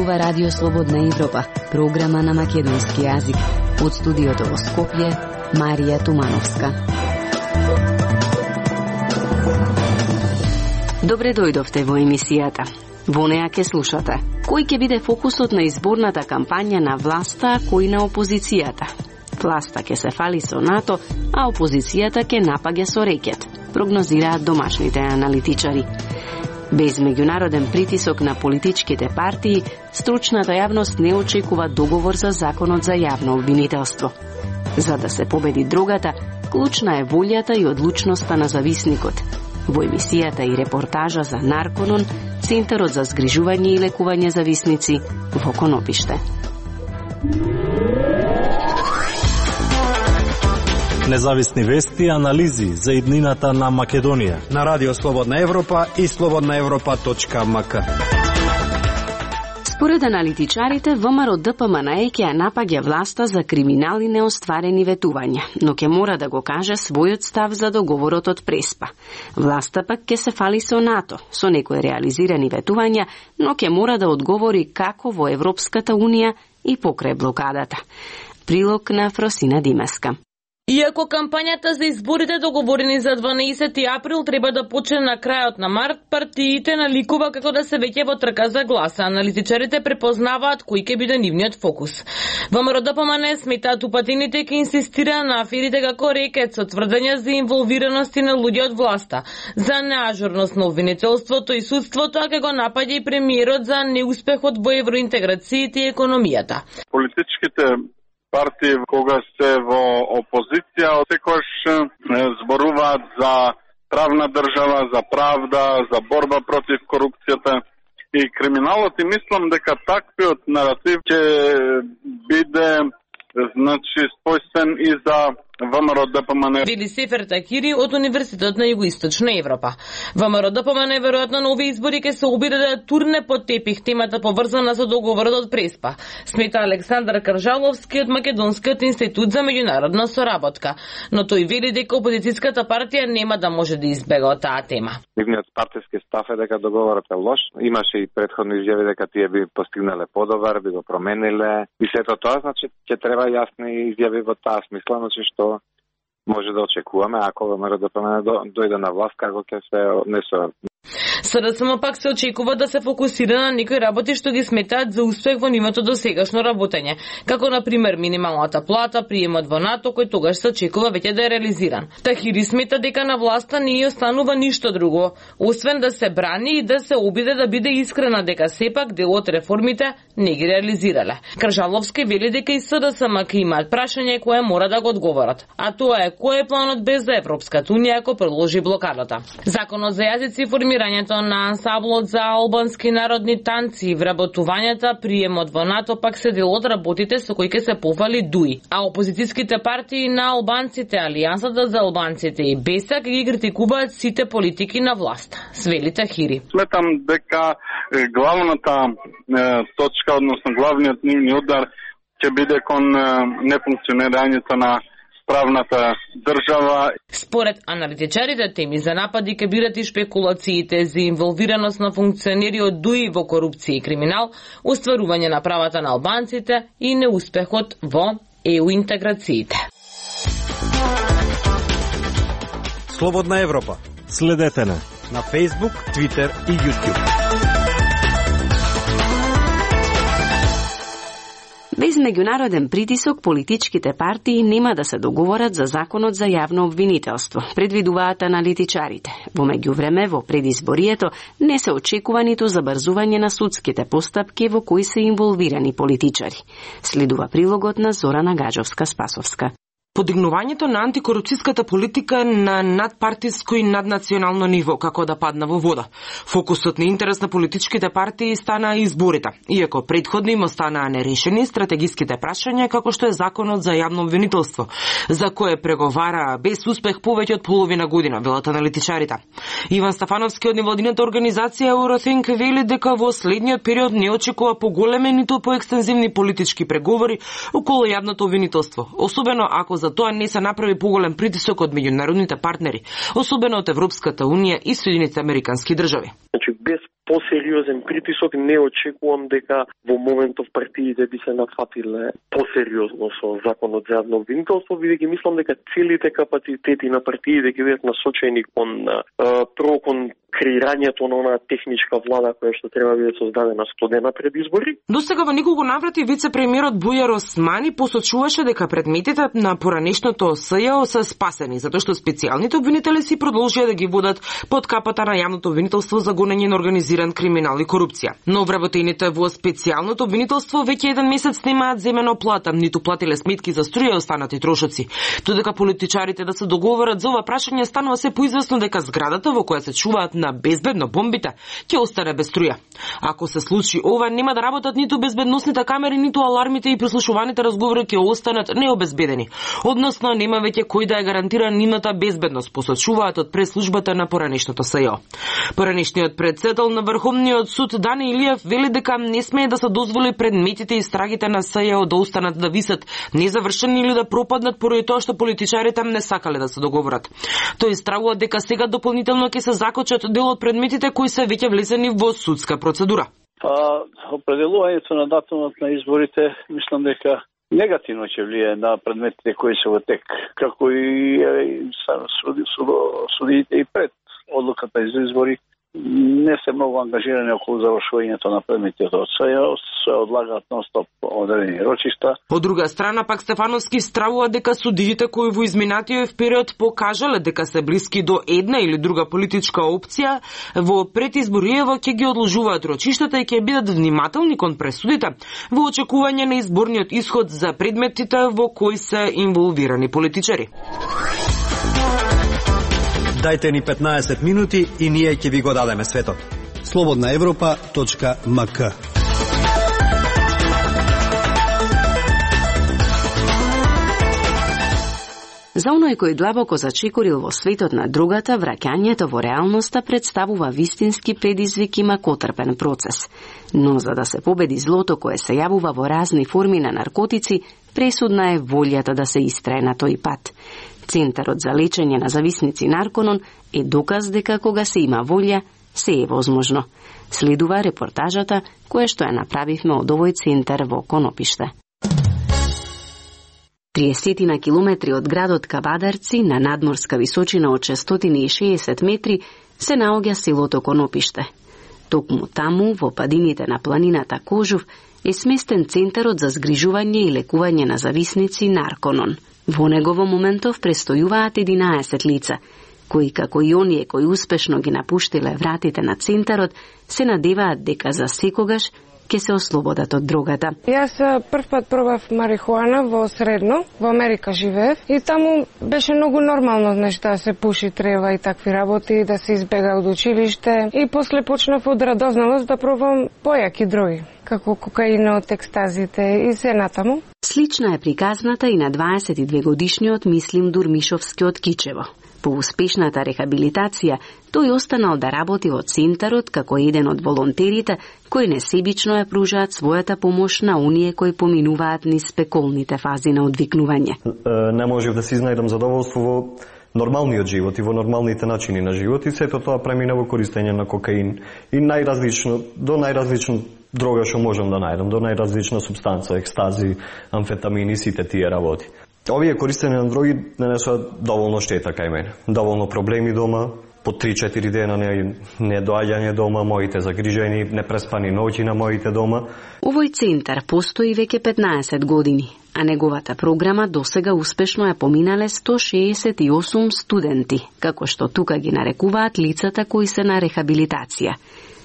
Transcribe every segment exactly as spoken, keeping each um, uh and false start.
зборува Радио Слободна Европа, програма на македонски јазик. Од студиото во Скопје, Марија Тумановска. Добре дојдовте во емисијата. Во неа ке слушате кој ќе биде фокусот на изборната кампања на власта, а кој на опозицијата. Власта ке се фали со НАТО, а опозицијата ке напаѓа со рекет, прогнозираат домашните аналитичари. Без меѓународен притисок на политичките партии, стручната јавност не очекува договор за законот за јавно обвинителство. За да се победи дрогата, клучна е волјата и одлучноста на зависникот. Во емисијата и репортажа за Нарконон, Центарот за згрижување и лекување зависници во Конопиште. Независни вести и анализи за иднината на Македонија на Радио Слободна Европа и слободна европа точка ем ка. Според аналитичарите, ВМРО Д П М Н Е ќе напаѓа власта за криминал и неостварени ветувања, но ќе мора да го каже својот став за договорот од Преспа. Власта пак ќе се фали со НАТО, со некои реализирани ветувања, но ќе мора да одговори како во Европската Унија и покрај блокадата. Прилог на Фросина Димеска. Иако кампањата за изборите договорени за дванаесети април треба да почне на крајот на март, партиите наликува како да се веќе во трка за гласа. Аналитичарите препознаваат кој ќе биде нивниот фокус. ВМРО Д П М Н Е сметаат упатените ќе инсистира на аферите како рекет со тврдења за инволвираности на луѓе од власта, за неажурност на обвинителството и судството, а ќе го напаѓа и премиерот за неуспехот во евроинтеграциите и економијата. Политичките партии кога се во опозиција секогаш зборуваат за правна држава, за правда, за борба против корупцијата и криминалот, и мислам дека таквиот наратив ќе биде значи спојствен и за ВМРО Д П М Н Е. Вели Сефер Такири од Универзитетот на Југоисточна Европа. ВМРО Д П М Н Е веројатно на овие избори ќе се обиде да турне под тепих темата поврзана со договорот од Преспа, смета Александар Каржаловски од Македонскиот институт за меѓународна соработка, но тој вели дека опозицијската партија нема да може да избега од таа тема. Нивниот партиски став е дека договорот е лош. Имаше и претходни изјави дека тие би постигнале подобар, би го промениле и сето тоа, значи ќе треба јасни изјави во таа смисла, значи што може да очекуваме ако ВМРО Д П М Н Е дојде на власт, како ќе се однесува. СДСМ пак се очекува да се фокусира на некои работи што ги сметаат за успех во нивото досегашно работење, како на пример минималната плата, приемот во НАТО, кој тогаш се очекува веќе да е реализиран. Тахири смета дека на власта не ја останува ништо друго, освен да се брани и да се обиде да биде искрена дека сепак дел од реформите не ги реализирале. Кржаловски вели дека и СДСМ ќе имаат прашање кое мора да го одговорат, а тоа е кој е планот без за Европската Унија ако продолжи блокадата. Законот за јазици и формирањето на ансамблот за албански народни танци и вработувањата, приемот во НАТО пак се дел од работите со кои ќе се пофали ДУИ, а опозицијските партии на албанците, Алијансата за албанците и БЕСА ги критикуваат сите политики на власт. Свели Тахири. Сметам дека главната е, точка, односно главниот нивни удар ќе биде кон нефункционирањето на правната држава. Според аналитичарите, теми за напади ќе бидат и шпекулациите за инволвираност на функционери од ДУИ во корупција и криминал, остварување на правата на албанците и неуспехот во Е У интеграциите. Слободна Европа. Следете на на Facebook, Twitter и YouTube. Без меѓународен притисок, политичките партии нема да се договорат за законот за јавно обвинителство, предвидуваат аналитичарите. Во меѓувреме, во предизборието не се очекува ниту забрзување на судските постапки во кои се инволвирани политичари. Следува прилогот на Зорана Гаджовска-Спасовска. Подигнувањето на антикорупцијската политика на надпартиско и наднационално ниво како да падна во вода. Фокусот на интерес на политичките партии стана изборите, иако претходно им останаа нерешени стратегиските прашања како што е законот за јавно обвинителство, за кое преговара без успех повеќе од половина година, велат аналитичарите. Иван Стафановски од невладината организација Eurothink вели дека во следниот период не очекува поголеми ниту поекстензивни политички преговори околу јавното обвинителство, особено ако за тоа не се направи поголем притисок од меѓународните партнери, особено од Европската унија и Соединетите американски држави. Значи, без посериозен притисок не очекувам дека во моментов партиите би се нафатиле посериозно со законот за јавно обвинителство, бидејќи мислам дека целите капацитети на партиите ќе бидат насочени кон прво кон креирањето на онаа техничка влада која што треба да биде создадена студена пред избори. Досега во неколку наврати вице-премиерот Бујар Османи посочуваше дека предметите на поранешното СЈО се спасени, затоа што специјалните обвинители си продолжија да ги водат под капата на јавното обвинителство за гонење на организиран криминал и корупција. Но вработените во специјалното обвинителство веќе еден месец немаат земено плата, ниту платиле сметки за струја и останати трошоци. Додека политичарите да се договорат за ова прашање, станува се поизвестно дека зградата во која се чуваат на безбедно бомбите ќе остане без струја. Ако се случи ова, нема да работат ниту безбедносните камери, ниту алармите и прислушуваните разговори ќе останат необезбедени. Односно, нема веќе кој да ја гарантира нивната безбедност, посочуваат од преслужбата на поранешното СЈО. Поранешниот председател на Врховниот суд Дани Илиев вели дека не смее да се дозволи предметите и страгите на СЈО да останат да висат незавршени или да пропаднат поради тоа што политичарите не сакале да се договорат. Тој стравува дека сега дополнително ќе се закочат дел од предметите кои се веќе влезени во судска процедура. Па, определувањето на датумот на изборите, мислам дека негативно ќе влие на предметите кои се во тек, како и судиите и пред одлуката за избори не се многу ангажирани околу завршувањето на предметите од СЈО, се одлагаат нон-стоп одредени рочишта. Од друга страна, пак Стефановски стравува дека судиите кои во изминатиот период покажале дека се блиски до една или друга политичка опција, во предизбориево ќе ги одложуваат рочиштата и ќе бидат внимателни кон пресудите во очекување на изборниот исход за предметите во кои се инволвирани политичари. Дајте ни петнаесет минути и ние ќе ви го дадеме светот. слободна европа точка ем ка. За оној кој длабоко зачекорил во светот на другата, враќањето во реалноста представува вистински предизвик и макотрпен процес. Но за да се победи злото кое се јавува во разни форми на наркотици, пресудна е волјата да се истрае на тој пат. Центарот за лечење на зависници Нарконон е доказ дека кога се има волја, се е возможно. Следува репортажата која што ја направивме од овој центар во Конопиште. триесет на километри од градот Кабадарци, на надморска височина од шестстотини и шеесет метри, се наоѓа селото Конопиште. Токму таму, во падините на планината Кожув, е сместен центарот за згрижување и лекување на зависници Нарконон. Во него во моментов престојуваат единаесет лица, кои како и оние кои успешно ги напуштиле вратите на центарот, се надеваат дека за секогаш ќе се ослободат од дрогата. Јас прв пат пробав марихуана во Средно, во Америка живеев, и таму беше многу нормално нешто да се пуши трева и такви работи, да се избега од училиште, и после почнав од радозналост да пробам појаки дроги, како кокаинот, екстазите и се натаму. Слична е приказната и на дваесет и две годишниот Мислим Дурмишовски од Кичево. По успешната рехабилитација, тој останал да работи во центарот како еден од волонтерите кои несебично ја пружаат својата помош на оние кои поминуваат низ спеколните фази на одвикнување. Не можев да си изнајдам задоволство во нормалниот живот и во нормалните начини на живот, и сето тоа премина во користење на кокаин и најразлично, до најразлично дрога што можам да најдам, до најразлична субстанца, екстази, амфетамини, сите тие работи. Овие користење на дроги нанесоа доволно штета кај мене. Доволно проблеми дома, по три-четири дена не, не доаѓање дома, моите загрижени, непреспани ноќи на моите дома. Овој центар постои веќе петнаесет години, а неговата програма досега успешно ја поминале сто шеесет и осум студенти, како што тука ги нарекуваат лицата кои се на рехабилитација.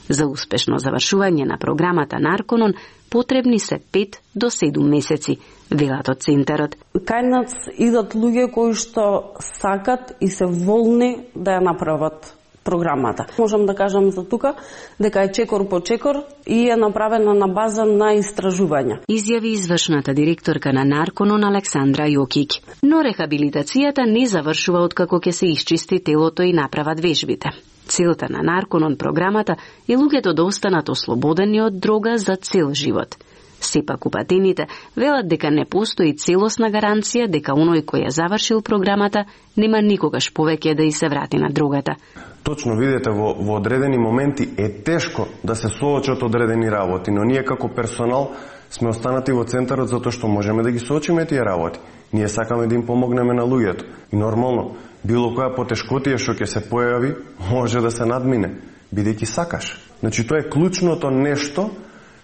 За успешно завршување на програмата Нарконон потребни се пет до седум месеци, велат од центарот. Кај нас идат луѓе кои што сакат и се волни да ја направат програмата. Можам да кажам за тука дека е чекор по чекор и е направена на база на истражувања. Изјави извршната директорка на Нарконон Александра Јокиќ. Но рехабилитацијата не завршува откако ќе се исчисти телото и направат вежбите. Целта на Нарконон програмата е луѓето да останат ослободени од дрога за цел живот. Сепак упатените велат дека не постои целосна гаранција дека оној кој ја завршил програмата нема никогаш повеќе да и се врати на дрогата. Точно видите, во, во одредени моменти е тешко да се соочат одредени работи, но ние како персонал сме останати во центарот затоа што можеме да ги соочиме тие работи. Ние сакаме да им помогнеме на луѓето. И нормално, било која потешкотија што ќе се појави, може да се надмине, бидејќи сакаш. Значи, тоа е клучното нешто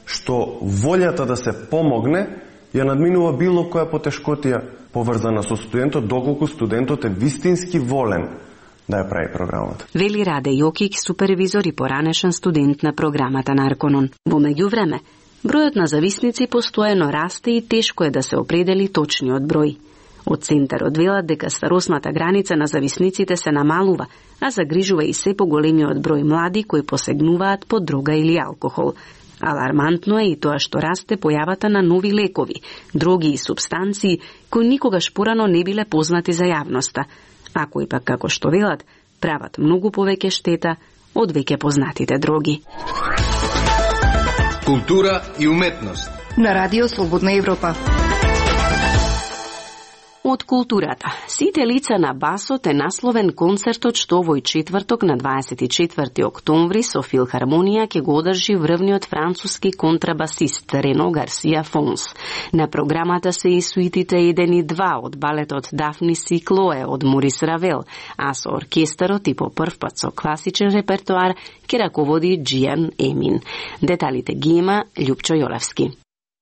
што волјата да се помогне ја надминува било која потешкотија поврзана со студентот, доколку студентот е вистински волен да ја прави програмата. Вели Раде Јокик, супервизор и поранешен студент на програмата на Арконон. Во меѓувреме, бројот на зависници постојано расте и тешко е да се определи точниот број. Од центарот велат дека старосната граница на зависниците се намалува, а загрижува и се поголемиот број млади кои посегнуваат по дрога или алкохол. Алармантно е и тоа што расте појавата на нови лекови, дроги и супстанции кои никогаш порано не биле познати за јавноста, а кои пак, како што велат, прават многу повеќе штета од веќе познатите дроги. Култура и уметност на Радио Слободна Европа. Од културата. Сите лица на басот е насловен концертот што овој четврток на дваесет и четврти октомври со филхармонија ќе го одржи врвниот француски контрабасист Рено Гарсија Фонс. На програмата се и суитите еден и два од балетот Дафнис и Клое од Морис Равел, а со оркестарот и по прв пат со класичен репертоар ќе раководи Джиан Емин. Деталите ги има Љупчо Јолевски.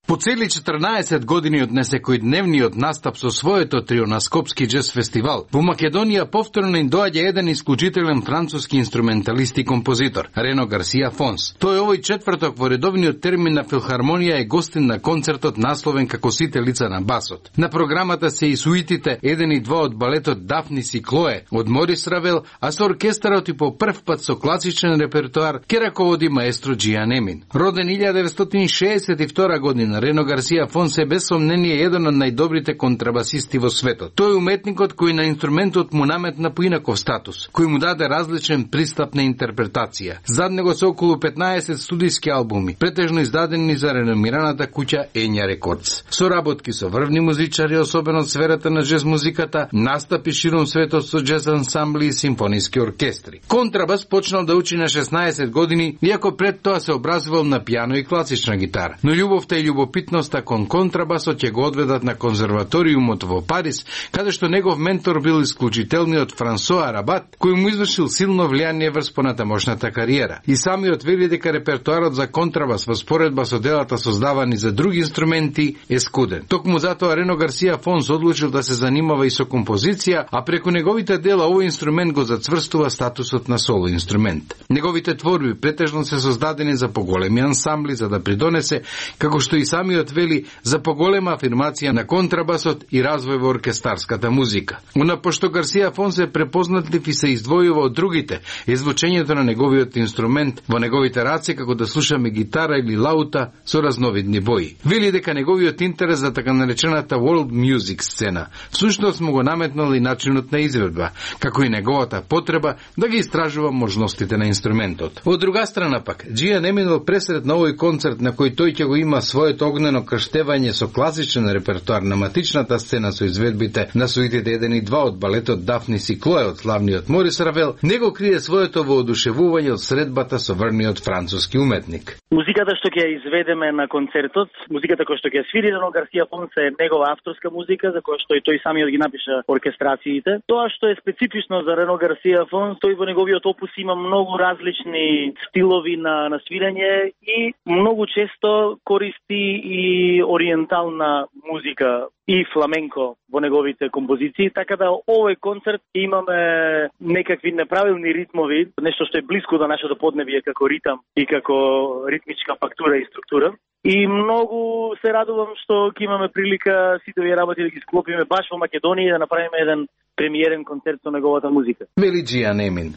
По цели четрнаесет години од несекојдневниот настап со своето трио на Скопски джез фестивал, во Македонија повторно им доаѓа еден исклучителен француски инструменталист и композитор, Рено Гарсија Фонс. Тој овој четврток во редовниот термин на филхармонија е гостин на концертот насловен како Сите лица на басот. На програмата се и суитите еден и два од балетот Дафнис и Клое од Морис Равел, а со оркестарот и по прв пат со класичен репертоар ќе раководи маестро Джиан Емин. Роден илјада деветстотини шеесет и втора година, Рено Гарсија Фонс е без сомнение еден од најдобрите контрабасисти во светот. Тој е уметникот кој на инструментот му наметна поинаков статус, кој му даде различен пристап на интерпретација. Зад него се околу петнаесет студиски албуми, претежно издадени за реномираната куќа Ења Рекордс. Соработки со врвни музичари, особено од сферата на джез музиката, настапи ширум светот со джез ансамбли и симфониски оркестри. Контрабас почнал да учи на шеснаесет години, иако пред тоа се образувал на пијано и класична гитара. Но љубовта и љубопитноста кон контрабасот ќе го одведат на конзерваториумот во Париз, каде што негов ментор бил исклучителниот Франсоа Рабат, кој му извршил силно влијание врз понатамошната кариера. И самиот вели дека репертоарот за контрабас во споредба со делата создавани за други инструменти е скуден. Токму затоа Рено Гарсија Фонс одлучил да се занимава и со композиција, а преку неговите дела овој инструмент го зацврстува статусот на соло инструмент. Неговите творби претежно се создадени за поголеми ансамбли за да придонесе, како што и самиот вели, за поголема афирмација на контрабасот и развој во оркестарската музика. Уна пошто Гарсија Фонс е препознатлив и се издвојува од другите, е звучењето на неговиот инструмент во неговите раце како да слушаме гитара или лаута со разновидни бои. Вели дека неговиот интерес за така наречената world music сцена всушност му го наметнал и начинот на изведба, како и неговата потреба да ги истражува можностите на инструментот. Од друга страна пак, Джиан Емин пресред на овој концерт на кој тој ќе го има своето огнено крштевање со класичен репертоар на матичната сцена со изведбите на суитите еден и два од балетот Дафнис и Клое од славниот Морис Равел, него крие своето воодушевување од средбата со врвниот француски уметник. Музиката што ќе изведеме на концертот, музиката која што ќе свири Рено Гарсија Фонс е негова авторска музика, за која што и тој самиот ги напиша оркестрациите. Тоа што е специфично за Рено Гарсија Фонс, тој во неговиот опус има многу различни стилови на, на свирење и многу често користи и ориентална музика и фламенко во неговите композиции, така да овој концерт имаме некакви неправилни ритмови, нешто што е блиско до нашето поднебие како ритам и како ритмичка фактура и структура. И многу се радувам што ќе имаме прилика сите овие работи да ги склопиме баш во Македонија и да направиме еден премиерен концерт со неговата музика. Вели Джиан Емин.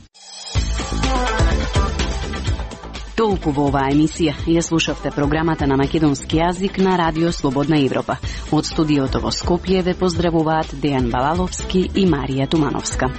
Толку во оваа емисија. Ја слушавте програмата на македонски јазик на Радио Слободна Европа. Од студиото во Скопје ве поздравуваат Дејан Балаловски и Марија Тумановска.